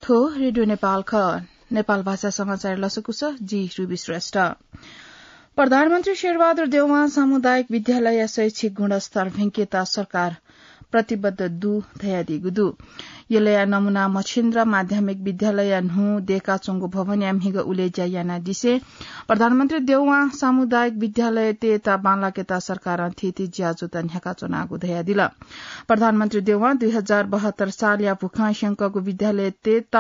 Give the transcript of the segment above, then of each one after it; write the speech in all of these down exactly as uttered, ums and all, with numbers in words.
को रेडियो नेपाल ख। नेपाल भाषा समाचार लसकुस, जि रुबी श्रेष्ठ। प्रधानमन्त्री शेरबहादुर देउवां सामुदायिक विद्यालय शैक्षिक गुणस्तर भिंकेत सरकार प्रतिबद्ध दु धयादीगु दु। यलया नमुना मछिन्द्र माध्यमिक विद्यालय न्हू देकाच्वंगु भवनया म्हिगः उलेज्या यानादिसें प्रधानमन्त्री देउवां सामुदायिक विद्यालयतय्‌त बांलाकेत सरकारं थीथी ज्याझ्वःत न्ह्याकाच्वनागु धयादिल। प्रधानमन्त्री देउवां दुई हजार बहत्तर सालया भूखं स्यंकःगु विद्यालयतय्‌त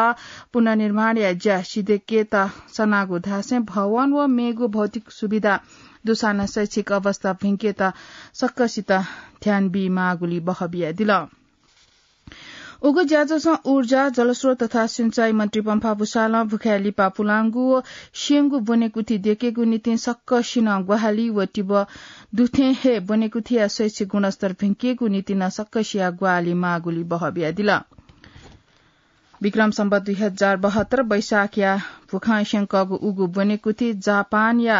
पुनर्निर्माणया ज्या सिधय्‌केत सनागु धासें भवन व मेगु भौतिक सुविधा दुसां नं शैक्षिक अवस्था भिंकेत सकसित ध्यान बीमाःगुली बहबियादिल। उगु ज्याझ्वलं ऊर्जा, जलस्रोत तथा सिंचाई मन्त्री पम्फा भूषालं भुखाय् लिपा पुलांगु व स्यंगु ब्वनेकुथि देकेगु निंतिं सकसिनं ग्वाहालि व तिबः दुथें हे ब्वनेकुथिया शैक्षिक गुणस्तर भिंकेगु निंतिं नं सकसिया ग्वाहालि माःगुली बहबियादिल। विक्रम सम्वत दुई हजार बहत्तर वैशाखया भूखं स्यंकःगु उगु ब्वनेकुथि जापानया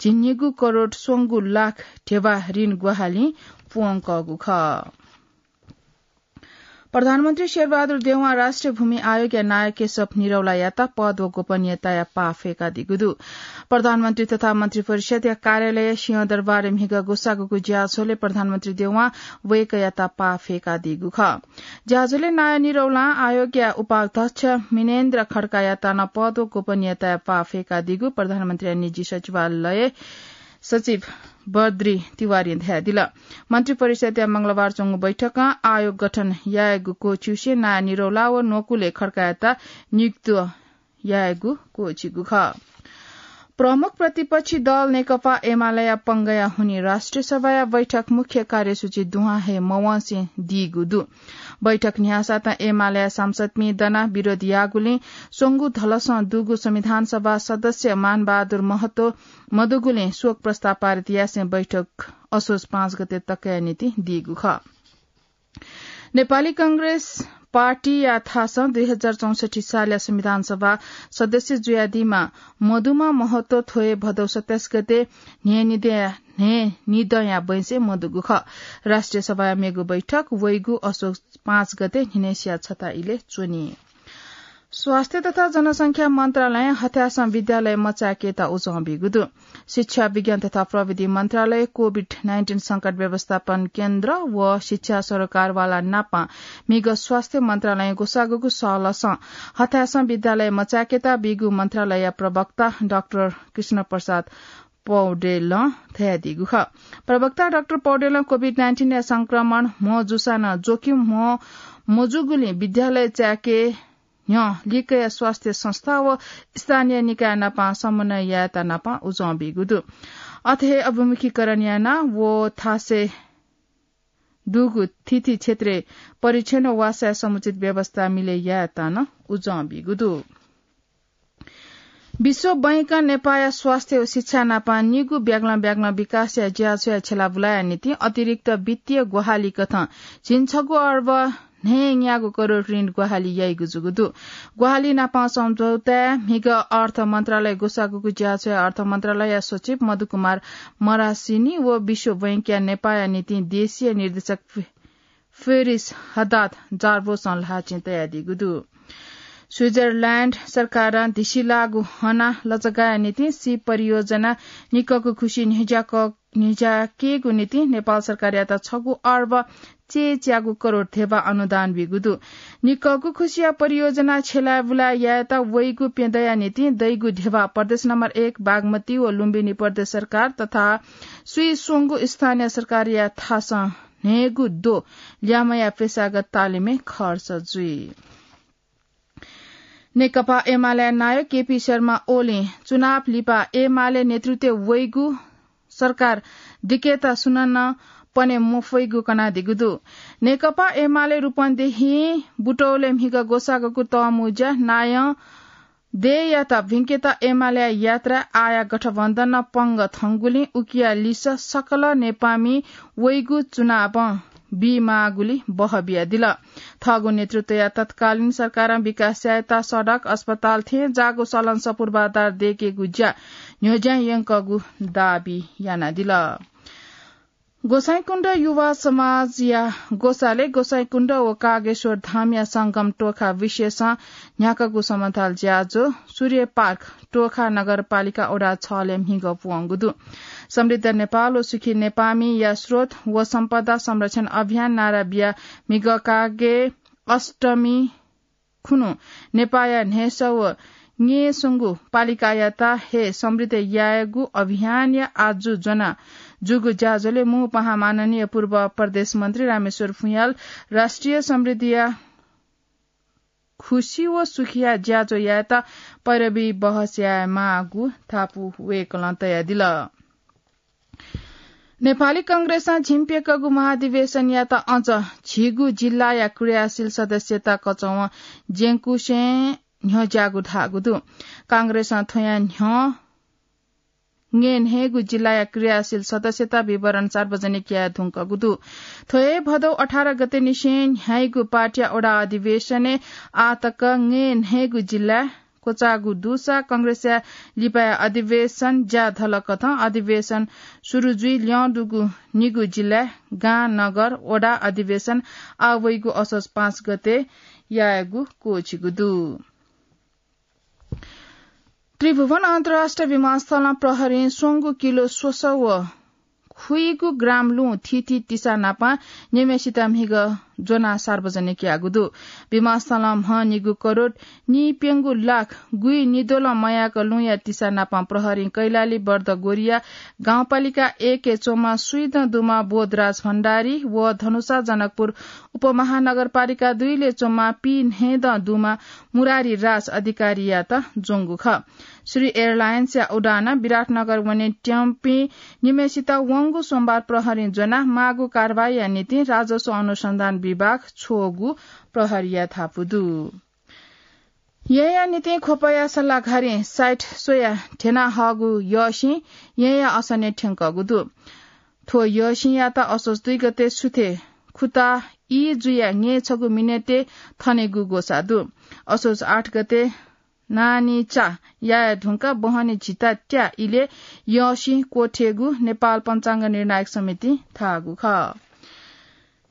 झिंनिगू करोड स्वंगू लाख ध्यबा ऋण ग्वाहालिं प्वंकःगु खः। प्रधानमन्त्री शेरबहादुर देउवां राष्ट्रिय भूमि आयोगया नायः केशव निरौलायात पद व गोपनीयताया पाः फय्‌कादीगु दु। प्रधानमन्त्री तथा मन्त्रिपरिषद्‌या कार्यालय सिंहदरबारय् म्हिगः ग्वसाःगुगु ज्याझ्वलय् प्रधानमन्त्री देउवां वय्‌कःयात पाः फय्‌कादीगु खः। ज्याझ्वलय् नायः निरौलां आयोगया उपाध्यक्ष मिनेन्द्र खड्कायात नं पद व गोपनीयताया पाः फय्‌कादीगु प्रधानमन्त्रीया निजी सचिवालय सचिव बद्री तिवारीं धयादिल। मन्त्रिपरिषद्‌या मंगलबार च्वंगु बैठकं आयोग गठन यायेगु क्वःछिउसें नायः निरौला व न्वकुलय् खड्कायात नियुक्त यायेगु क्वःछिगु खः। प्रमुख प्रतिपक्षी दल नेकपा एमालेया पंगःया हुनिं राष्ट्रिय सभाया बैठक मुख्य कार्यसूची दुहां हे मवंसे दीगु दु। बैठक न्ह्यासातं एमालेया सांसदपिं दनाः विरोध याःगुलिं स्वंगू धलसं दुगु संविधान सभा सदस्य मानबहादुर महतो मदुगुलिं शोक प्रस्ताव पारित यासें बैठक असोज पाँच गते तकया निंतिं दीगु खः। नेपाली कांग्रेस पार्टीया थासं दुई हजार चौसट्ठी सालया संविधान सभा सदस्य जुयादीम्ह मदुम्ह महतो थ्व हे भदौ सत्ताइस गते न्हय्‌निदँया, न्हय्‌निदँया बैंसय् मदुगु खः। राष्ट्रिय सभाया मेगु बैठक वइगु असोज पाँच गते न्हिनय्‌सिया छता इलय् च्वनी। स्वास्थ्य तथा जनसंख्या मन्त्रालयं हथासं विद्यालय मचायेकेत उजं बीगु दु। शिक्षा, विज्ञान तथा प्रविधि मन्त्रालय कोभिड नाइन्टिन संकट व्यवस्थापन केन्द्र व शिक्षा सरोकारवाला नाप म्हिगः स्वास्थ्य मन्त्रालयं ग्वसाःगु सहलसं हथासं विद्यालय मचायेकेत बीगु मन्त्रालयया प्रवक्ता डाक्टर कृष्ण प्रसाद पौडेलं धयादीगु खः। प्रवक्ता डाक्टर पौडेलं कोभिड नाइन्टिनया संक्रमण म्हो जूसां नं जोखिम म्हो मजूगुलिं विद्यालय चायेके न्ह्यः लिक्कया स्वास्थ्य संस्था व स्थानीय निकाय नाप समन्वय यायेत नाप उजं बीगु दु। अथे हे अभिमुखीकरण यानाः व थासय् दुगु थीथी क्षेत्रय् परीक्षण व वासया समुचित व्यवस्था मिले यायेत नं उजं बीगु दु। विश्व बैंकं नेपाःया स्वास्थ्य व शिक्षा नाप निगू ब्यागलं ब्यागलं विकासया ज्याझ्वःया छ्यलाबुलाया निंतिं अतिरिक्त वित्तीय ग्वाहालि कथं झिंछगू अर्ब न्हय्‌न्यागू करोड ऋण ग्वाहालि याइगु जूगु दु। ग्वाहालि नाप सम्झौताय् म्हिगः अर्थ मन्त्रालय ग्वसाःगु ज्याझ्वःया अर्थ मन्त्रालयया सचिव मधु कुमार मरासिनी व विश्व बैंकया नेपाःया निंतिं देशीय निर्देशक फि-, फेरिस हदाद जार्बोसं ल्हाःचिं तयादीगु दु। स्विजरल्याण्ड सरकारं धिसिलाःगु हना लचगाया निंतिं सी परियोजना निक्कःगु खुसि न्ह्यज्याक-, न्ह्यज्याकेगु निंतिं नेपाल सरकारयात छगू अर्ब चय्‌च्यागू करोड धेबा अनुदान बीगु दु। निक्कःगु खुसिया परियोजना छ्यलाबुला यायेत वइगु प्यदँया निंतिं दइगु धेबा प्रदेश नम्बर एक बागमती व लुम्बिनी प्रदेश सरकार तथा स्वीस्वंगू स्थानीय सरकारया थासं न्हय्‌गू द्वः ल्यामया पेशागत तालिमय् खर्च जुइ। नेकपा एमाले नायः केपी शर्मा ओलीं चुनाव लिपा एमाले नेतृत्वय् वइगु सरकार दिकेत सुनानं पने मफइगु कनादीगु दु। नेकपा एमाले रूपन्देही बुटवलय् म्हिगः ग्वसाःगु तःमुँज्या नायः देय्‌यात भिंकेत एमालेया यात्रा आःया गठबन्धनं पंगः थंगुलिं उकिया लिसः सकल नेपाःमि वइगु चुनावं बीमाःगुली बहबियादिल। थःगु नेतृत्वया तत्कालीन सरकारं विकास यायेत सडक, अस्पताल थें जाःगु सलंसः पूर्वाधार दयेकेगु ज्या न्ह्यज्यां यंकःगु दाबी यानादिल। गोसाइँकुण्ड युवा समाजया ग्वसालय् गोसाइँकुण्ड व कागेश्वर धामया संगम टोखा विशेषं न्ह्याकागु समताल ज्याझ्वः सूर्य पार्क टोखा नगरपालिका वडा छलय् म्हिगः पुवंगु दु। समृद्ध नेपाल व सुखी नेपाःमिया स्रोत व सम्पदा संरक्षण अभियान नारा बिया म्हिगः कागे अष्टमी खुन्हु नेपाःया न्हय्‌सः व न्यय्‌संगु पालिकायात हे समृद्ध यायेगु अभियानया आजु ज्वना जूगु ज्याझ्वलय् मू पाहां माननीय पूर्व प्रदेश मन्त्री रामेश्वर फुयाल राष्ट्रिय समृद्धिया खुसी व सुखिया ज्याझ्वः यायेत पैरवी बहस यायेमाःगु धापू वय्‌कलं तयादिल। नेपाली कांग्रेसं झिंप्यंकःगु महाधिवेशनयात अझ झिगू जिल्लाया क्रियाशील सदस्यता कचवं ज्यंकुसें न्ह्यज्याःगु धाःगु दु। कांग्रेसं थ्वयां न्ह्यः न्हय्‌गू जिल्लाया क्रियाशील सदस्यता विवरण सार्वजनिक याये धुंकूगु दु। थ्व हे भदौ अठार गते निसें न्ह्याइगु पार्टीया वडा अधिवेशनय् आः तक न्हय्‌गू जिल्ला क्वचाःगु दुसा कांग्रेसया लिपाया अधिवेशन ज्या धलकथं अधिवेशन सुरु जुइ ल्यं दुगु निगू जिल्लाय् गां, नगर, वडा अधिवेशन आः वइगु असोज पाँच गते यायेगु क्वःछिगु दु। त्रिभुवन अन्तर्राष्ट्रिय विमानस्थलं प्रहरीं स्वंगू किलो स्वसः व खुइगु ग्राम लुँ थीथी तिसा नापं निम्हय्‌सित म्हिगः ज्वनाः सार्वजनिक याःगु दु। विमानस्थलं म्हनिगू करोड नीप्यंगू लाख गुइ निद्वलं मयाक लुँया तिसा नापं प्रहरीं कैलाली बर्दगोरिया गाउँपालिका एकय् च्वंम्ह स्वीदँ दुम्ह बोधराज भण्डारी व धनुषा जनकपुर उपमहानगरपालिका दुईले च्वंम्ह पीन्हय्‌दँ दुम्ह मुरारी राज अधिकारीयात ज्वंगु खः। श्री एयरलाइन्सया उडानं विराटनगर वनेत्यंपिं निम्हय्‌सित वंगु सोमबार प्रहरीं ज्वनाः माःगु कारवाहीया निंतिं राजस्व अनुसन्धान विभाग छ्वःगु प्रहरीया धापू दु। येँया निंतिं ख्वपया सल्लाघारीं साइट स्वयाः ध्यना हःगु यःसिं येँया असनय् थ्यंकःगु दु। थ्व यःसिंयात असोज दुई गते सुथय् खुता ई जुयाः न्यय् छगू मिनेटय् थनेगु ग्वसाः दु। असोज आठ गते नानीचा याये धुंकाः बहनी झिता त्या इलय् यःसिं क्वथेगु नेपाल पञ्चाङ्ग निर्णायक समितिं धाःगु खः।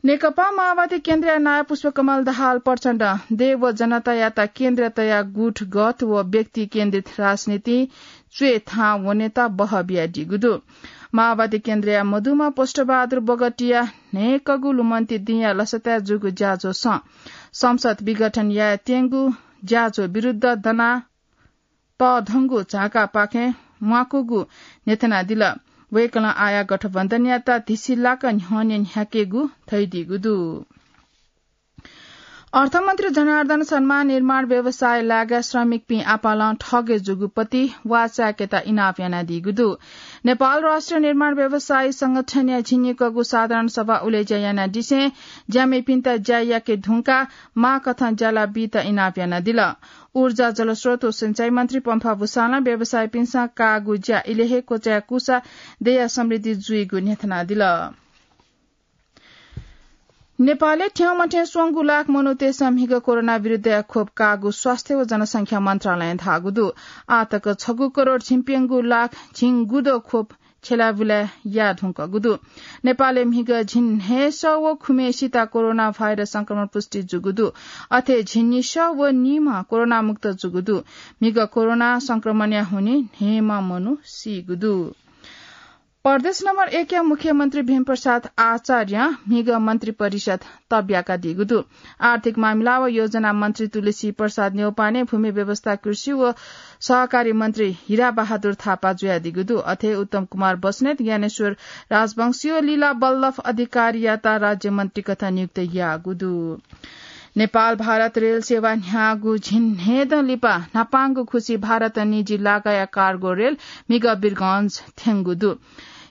नेकपा माओवादी केन्द्रया नायः पुष्पकमल दाहाल प्रचण्डं देय् व जनतायात केन्द्र तयाः गुटगत व व्यक्ति केन्द्रित राजनीतिं च्वय् थाहां वनेत बहः बियादीगु दु। माओवादी केन्द्रया मदुम्ह पुष्पबहादुर बगटिया न्हय्‌कगू लुमन्ति दिंया लसताय् जूगु ज्याझ्वलय् संसद विघटन यायेत्यंगु ज्याझ्वः विरुद्ध दना तःधंगु झाकापाखें म्वाकूगु न्ह्यथनादिल। वय्‌कलं आः गठबन्धनयात धिसिलाक न्ह्यःने न्ह्याकेगु धयादीगु दु। अर्थमन्त्री जनार्दन शर्मां निर्माण व्यवसाय लागाय् श्रमिकपिं आपालं ठगे जूगु पति वाःचाय्‌केत इनाप यानादीगु दु। नेपाल राष्ट्रिय निर्माण व्यवसायी संगठनया झिंनिकःगु साधारण सभा उलेज्या यानादिसें ज्यामिपिन्त ज्या याके धुंकाः माःकथं ज्याला बीत इनाप यानादिल। ऊर्जा, जलस्रोत व सिँचाइ मन्त्री पम्फा भूषालं व्यवसायीपिन्सं काःगु ज्या इलय् हे क्वचाय्‌कूसा देय्‌या समृद्धि जुइगु न्ह्यथनादिल। नेपालय् थ्यंमथ्यं स्वंगू लाख मनूतय्‌सं म्हिगः कोरोना विरुद्धया खोप काःगु स्वास्थ्य व जनसंख्या मन्त्रालयं धाःगु दु। आः तक छगू करोड झिंप्यंगू लाख झिंगुद्वः खोप छ्यलाबुला याये धुंकूगु दु। नेपालय् म्हिगः झिंन्हय्‌सः व खुम्हय्‌सित कोरोना भाइरस संक्रमण पुष्टि जूगु दु। अथे झिंनिसः व निम्ह कोरोना मुक्त जूगु दु। म्हिगः कोरोना संक्रमणया हुनिं न्हय्‌म्ह मनू सीगु दु। प्रदेश नम्बर एकया मुख्यमन्त्री भीमप्रसाद आचार्यं म्हिगः मन्त्री परिषद तब्याकादीगु दु। आर्थिक मामिला व योजना मन्त्री तुलसी प्रसाद न्यौपाने, भूमि व्यवस्था, कृषि व सहकारी मन्त्री हिरा बहादुर थापा जुयादीगु दु। अथे उत्तम कुमार बस्नेत, ज्ञानेश्वर राजवंशी व लीला बल्लभ अधिकारीयात राज्य मन्त्री कथं नियुक्त याःगु दु। नेपाल भारत रेल सेवा न्ह्याःगु झिंन्हय्‌दँ लिपा न्हापांगु खुसी भारत निजी लागाया कार्गो रेल म्हिगः वीरगंज थ्यंगु दु।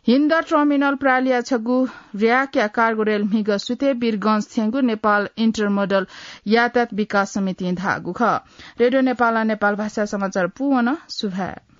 हिन्द टर्मिनल प्रालिया छगू र्‍याकया कार्गो रेल म्हिगः सुथय् वीरगंज थ्यंगु नेपाल इन्टरमोडल यातायात विकास समितिं धाःगु खः। रेडियो नेपालं नेपाल भाषा समाचार पूवन। सुभाय्।